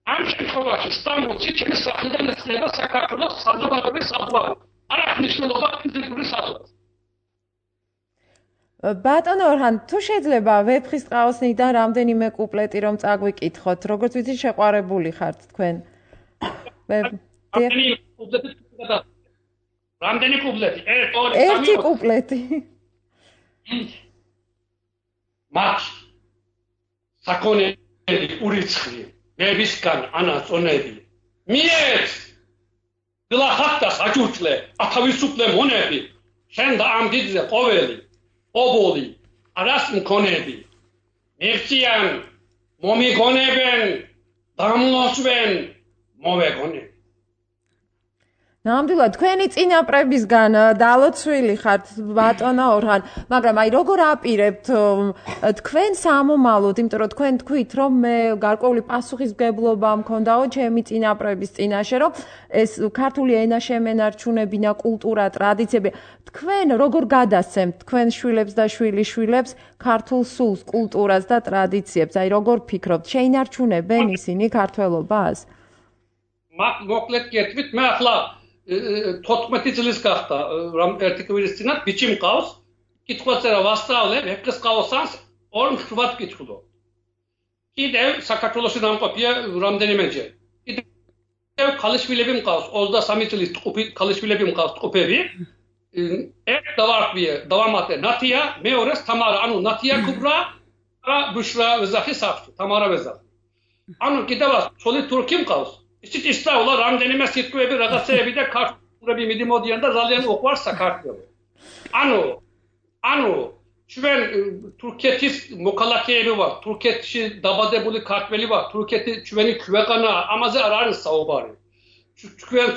S4: ამ შემთხვევაში სტამბოლში ჩემი სახლიდან ეხება საქართველოს საზოგადოებრივი საზღვარი. არ აქვს მნიშვნელობა ფიზიკური საზღვარი.
S2: ბატონო ორჰან, თუ შეიძლება ვეფხისტყაოსნიდან რამდენიმე კუპლეტი რომ წაგვიკითხოთ, როგორც ვიცი შეყვარებული ხართ თქვენ.
S4: რამდენი კუპლეტი?
S2: ერთი კუპლეტი.
S4: მათ საკონელი ურიცხრი, მებისგან ანაწონები. მიეც გლახატას აჭურჭლე, ათავისუფლე მონები, შენ და ამ დიდზე ყოველი ობოლი, არას მქონები. მერციან, მომიგონებენ, დამლოცვენ, მოვეგონებ.
S2: ნამდვილად თქვენი წინაპრებისგან დალოცვილი ხართ ბატონო ორჰან, მაგრამ აი როგორ აპირებთ თქვენ სამომავლოდ, იმიტომ რომ თქვენ თქვით რომ მე გარკვეული პასუხისმგებლობა მქონდაო ჩემი წინაპრების წინაშე, რომ ეს ქართული ენა შემენარჩუნებინა, კულტურა, ტრადიციები. თქვენ როგორ გადასცემთ თქვენ შვილებს და შვილიშვილებს ქართულ სულს, კულტურას და ტრადიციებს? აი როგორ ფიქრობთ, შეინარჩუნებენ ისინი ქართველობას?
S4: მოკლედ გეტყვით, მე ახლა 14 წლის გახდა რომ ერთი კვირის წინათ ბიჭი მყავს, კითხვაწერა ვასწავლე, მეფეს ყავოსანს 2 კითხულობ. კიდევ საქართველოში დამყოფია რამდენიმეჯერ. კიდევ ქალიშვილები მყავს, 23 წლის ქალიშვილები მყავს ტყუპები. ერთ დავამატე ნათია, მეორეს თამარა, ანუ ნათია კუბრა და ბუშრა ვეზახი საფრთხე, თამარა ვეზახი. ანუ კიდევ ცოლი თურქი მყავს. ისიც ისწავლა რამდენიმე სიტყვები, რაღაცეები და ქართულები მიდიმოდიან და ძალიან უყვარს საქართველო. ანუ ჩვენ თურქეთის მოქალაქეები ვართ, თურქეთში დაბადებული ქართველი ვართ, თურქეთი ჩვენი ქვეყანა, ამაზე არ არის საუბარი. ჩვენ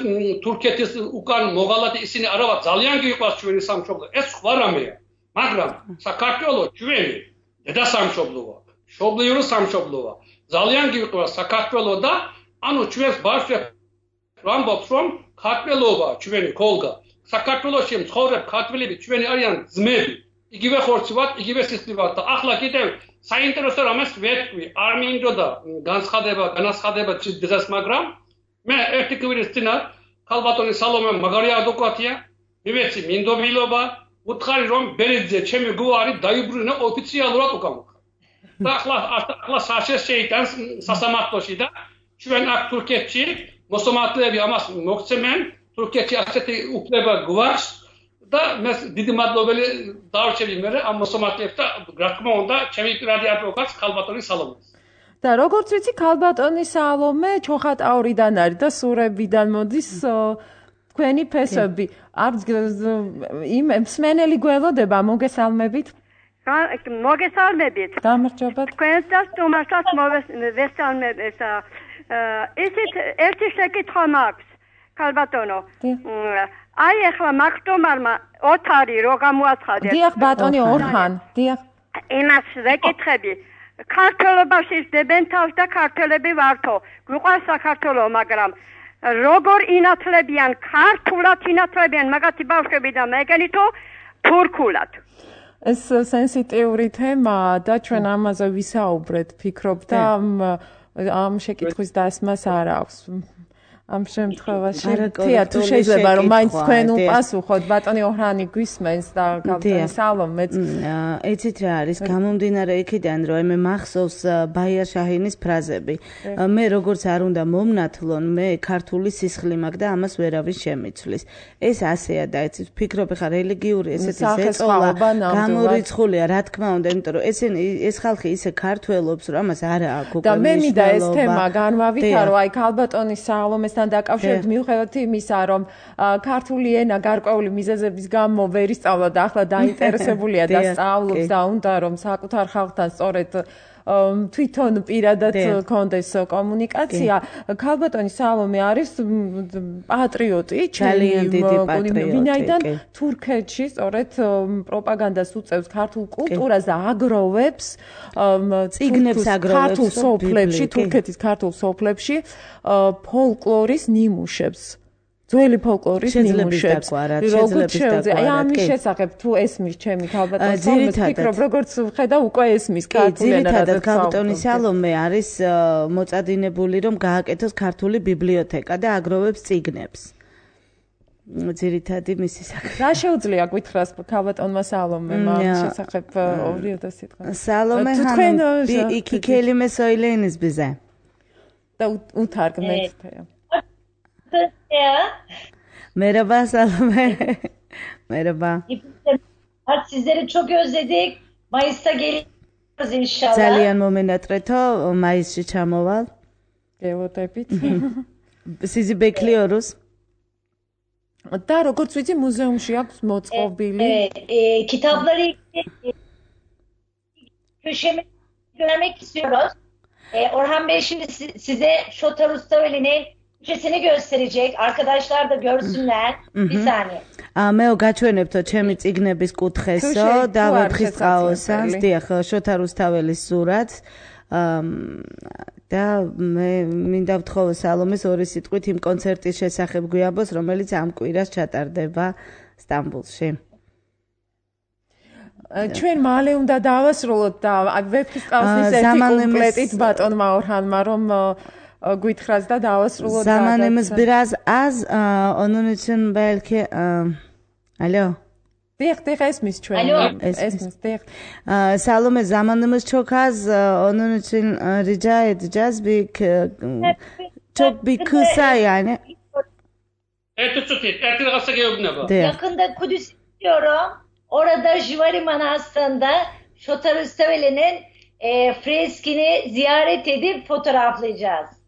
S4: თურქეთის უკან მოღალატე ისინი არა ვართ, ძალიან გიყვარს ჩვენი სამშობლო. ეს სხვა რამეა, მაგრამ საქართველო ჩვენი დედა სამშობლოა, მშობლიური სამშობლოა. ძალიან გიყვარს საქართველო და ანუ ჩვენს ბავშვებს ვამბობთ, რომ ქართველობა ჩვენი ქოლგა. საქართველოში მცხოვრებ ქართველები ჩვენი არიან ძმები. იგივე ხორცი ვართ, იგივე სისხლი ვართ და ახლა კიდევ საინტერესო რამეს ვეთქვი, არ მინდოდა განაცხადება დღეს, მაგრამ მე ერთი კვირის წინათ ქალბატონი სალომე მაგარი ადვოკატია, მივეცი მინდობილობა, უთხარი რომ ბერიძე ჩემი გვარი დაიბრუნა ოფიციალურად უკან. და ახლა საშეს შეიტანს სასამართლოში და ჩვენ აქ თურქეთში მოსამართლეები ამას მოგცემენ, თურქეთში ასეთი უფლება გვაქვს და მე დიდი მადლობელი დავარჩევი მე ამ მოსამართლეებს და რა თქმა უნდა ჩემი პირადი ადვოკატს ქალბატონი სალომეს.
S2: და როგორც ვიცი ქალბატონი სალომე ჩოხატაურიდან არის და სურებიდან მოდის თქვენი ფესვები. იმ მსმენელი გველოდება მოგესალმებით.
S5: მოგესალმებით.
S2: გამარჯობა.
S5: თქვენს და სტუმარსაც მოვესალმებით. ისიც ერთი შეკითხვა მაქვს, ქალბატონო. აი ახლა მაგტომარმა ოთარი რო გამოაცხადეს.
S2: დიახ ბატონი ორჰან, დიახ.
S5: იმას ვეკითხები. ქართლობაში დებენ თავს და ქართველები ვართო. გვიყვარს საქართველო, მაგრამ როგორ ინათლებიან, ქართულად ინათლებიან მაგათი ბავშვები და მეგენითო თურქულად.
S2: ეს სენსიტიური თემაა და ჩვენ ამაზე ვისაუბრეთ, ფიქრობ და ამ შეკითხვის დასმას არ აქვს. ამ შემთხვევაში თია თუ შეიძლება რომ მაინც თქვენ უპასუხოთ ბატონი ოჰრანი გვისმენს და ქალბატონი სალომეც
S3: ეცით რა არის გამომდინარე იქიდან რომ მე მახსოვს ბაია შაჰინის ფრაზები მე როგორც არ უნდა მომნათლონ მე ქართული სისხლი მაქვს და ამას ვერავინ შემიცვლის ეს ასეა და ეცით ვფიქრობ ხა რელიგიური ესეთი ზეწოლა გამორიცხულია რა თქმა უნდა იმიტომ რომ ეს ხალხი ისე ქართველობს რომ ამას არა აქვს
S2: და მე მინდა ეს თემა განვავითარო აი ქალბატონი სალომეს დაკავშირებით მიუხედავად იმისა, რომ ქართული ენა გარკვეული მიზეზების გამო ვერ ისწავლა და ახლა დაინტერესებულია და სწავლობს და უნდა რომ საკუთარ ხალხთან სწორედ თვითონ პირადად კონდეს კომუნიკაცია. ქალბატონი სალომე არის პატრიოტი,
S3: ძალიან დიდი პატრიოტი.
S2: ვინაიდან თურქეთში სწორედ პროპაგანდას უწევს ქართულ კულტურას და აგროვებს
S3: წიგნებს აგროვებს
S2: ქართულ სოფლებში, თურქეთის ქართულ სოფლებში ფოლკლორის ნიმუშებს. ძველი ფოლკლორის ნიმუშებს. როგორც შეიძლება აი ამის შესახებ თუ ესმის ჩემი ქალბატონი სალომეს ფიქრობ როგორც ხედა უკვე ესმის ქართული ენა
S3: ძირითადად ქალბატონი სალომე არის მოწადინებული რომ გააკეთოს ქართული ბიბლიოთეკა და აგროვებს წიგნებს. ძირითადი მისი საქმე.
S2: რა შეუძლია გითხრას ქალბატონმა სალომემ ამ შესახებ ორი სიტყვა.
S3: სალომე იქი კელიმე სოილენის ბიზე.
S2: და უთარგმნეთ თეა.
S3: Merhaba Salome. Merhaba.
S6: Sizleri çok özledik. Mayıs'ta geliyoruz inşallah.
S3: ძალიან მომენატრეთო მაისში ჩამოვალ.
S2: გევოტებით.
S3: სიზი ბექლიორუს.
S2: და როგორც ვიცი მუზეუმში აქვს მოწყობილი.
S6: Kitapları köşeme görmek istiyoruz. Orhan Bey şimdi size Şota Rustaveli'nin Türkçesini gösterecek. Arkadaşlar da görsünler. Bir saniye.
S3: მე გაჩვენებთო ჩემი წიგნების კუთხესო და ვეფხისტყაოსანს, დიახ, შოთა რუსთაველის სურათს. და მე მინდა ვთხოვო სალომეს ორი სიტყვით იმ კონცერტის შესახებ გვიამბოს, რომელიც ამ კვირას ჩატარდება სტამბოლში.
S2: ჩვენ მალე უნდა დავასრულოთ და ვეფხისტყაოსნის ერთი კომპლეტით ბატონმა ორჰანმა რომ გვითხრას და დავასრულოთ.
S3: Zamanımız biraz az, onun için belki alo.
S2: Diyek esmis ჩვენ. Esmis diyek.
S3: Salome zamanımız çok az, onun için rica edeceğiz çok bir kısa yani.
S6: Yakında Kudüs istiyorum. Orada Jivari Manastırı'nda Şota Rüstaveli'nin freskini ziyaret edip fotoğraflayacağız.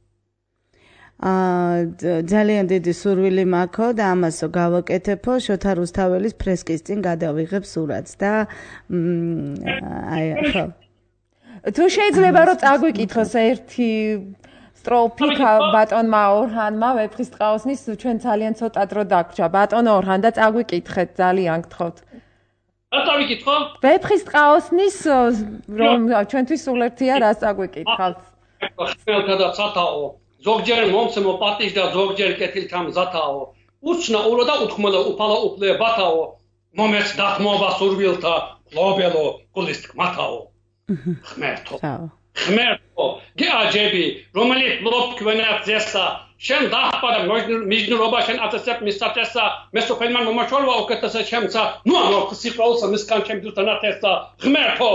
S3: ძალიან დიდი სურვილი მაქვს და ამასო გავაკეთებო შოთა რუსთაველის ფრესკის წინ გადავიღებ სურათს და აი ხო
S2: თუ შეიძლება რომ წაგვიკითხოს ერთი სტროფი ბატონმა ორჰანმა ვეფხისტყაოსნის ჩვენ ძალიან ცოტა დრო დაგვრჩა ბატონ ორჰან და წაგვიკითხეთ ძალიან გთხოვთ
S4: რა წავიკითხო
S2: ვეფხისტყაოსნის რომ ჩვენთვის სულ ერთია რას წაგვიკითხავთ
S4: ხმელთა და ცათაო ზოგჯერ მომცემო პატიჟდა ზოგჯერ კეთილთან ზათაო უცნა ურო და უთქმელო უფალა უფლებათაო მომეც დათმობა სურვილთა ლობელო გულის თქმათაო ხმერთო გეაჯები რომელიც ლობ ქვენათ ზესა შენ დაჰპარა მიჯნურობა შენ აწესებ მისაწესა მესოფელმან მომაჩოლვა უკეთესა ჩემცა ნუ ამო სიყვარულსა მისგან ჩემ დუტანათესა ღმერთო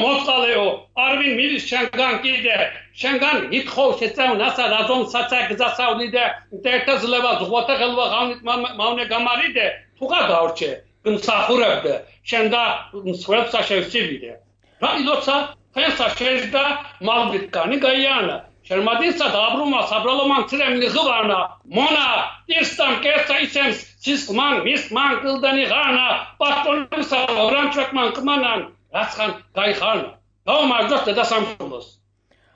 S4: მოწყალეო არვინ მილის შენგან კიდე შენგან ითხოვ შეწევნასა რაზონ საცაკ გზასავლიდე ერთად ზლება ზღვათა ხელვა ღამით მავნე გამარიდე თუ გადავრჩე გმსახურებდე შენ და მსხვერპლსა შევსივიდე რა ილოცა ფენსა შეჟდა მალბიტკანი გაიანა შერმადისა და აბრუმა საბრალომან ცრემლი ღვანა მონა ირსტან კესა ისემს სისკმან მისკმან კლდანი ღანა პატონისა რანჩაკმან კმანან რაცხან გაიხანა დაუმარჯოს და სამშობლოს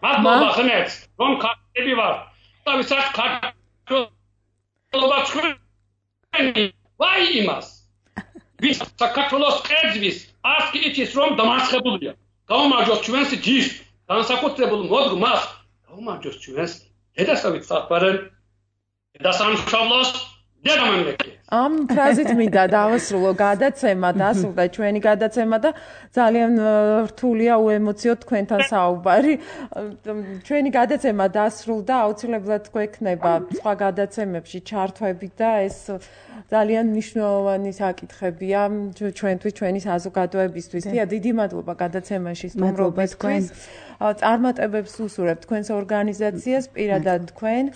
S4: მადლობა ხმებს რომ ხარები ვარ და ვისაც ქართულობა ჩვენი ვაი იმას ვის საქართველოს კერძვის ასკი იცის რომ დამარცხებულია გაუმარჯოს ჩვენს ჯიშს განსაკუთრებულ მოდგმას გაუმარჯოს ჩვენს დედასავით საფარენ და სამშობლოს დედამამრექი
S2: ამ ფრაზით მინდა დავასრულო გადაცემა დასრულდა ჩვენი გადაცემა და ძალიან რთულია უემოციო თქვენთან საუბარი ჩვენი გადაცემა დასრულდა აუცილებლად გვექნება სხვა გადაცემებში ჩართვები და ეს ძალიან მნიშვნელოვანი საკითხებია ჩვენთვის ჩვენი საზოგადოებისთვის დიდი მადლობა გადაცემაში სტუმრობისთვის წარმატებებს უსურვებ თქვენს ორგანიზაციას პირადად თქვენ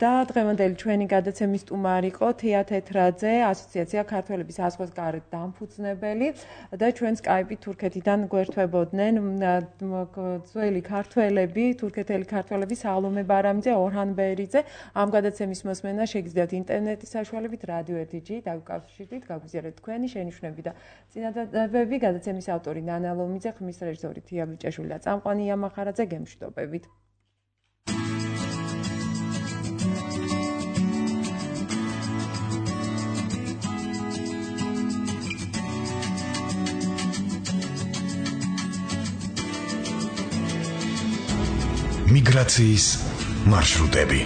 S2: და დღევანდელი ჩვენი გადაცემის სტუმარი იყო თეა თეთრაძე ასოციაცია ქართველების აზღვისგარეთ დამფუძნებელი და ჩვენ სკაიპით თურქეთიდან გვერდებოდნენ ძველი ქართველები თურქეთელი ქართველები სალომე ბარამიძე ორჰან ბერიძე ამ გადაცემის მოსმენა შეგიძლიათ ინტერნეტის საშუალებით რადიო 1G დაგუკავშირდით გაგვიზიარეთ თქვენი შენიშვნები და წინადადებები გადაცემის ავტორი ნანა ლომიძე ხმის რეჟისორი თია ბიჭაშვილი და წამყვანი იამახარაძე გემშვიდობებით
S1: მიგრაციის მარშრუტები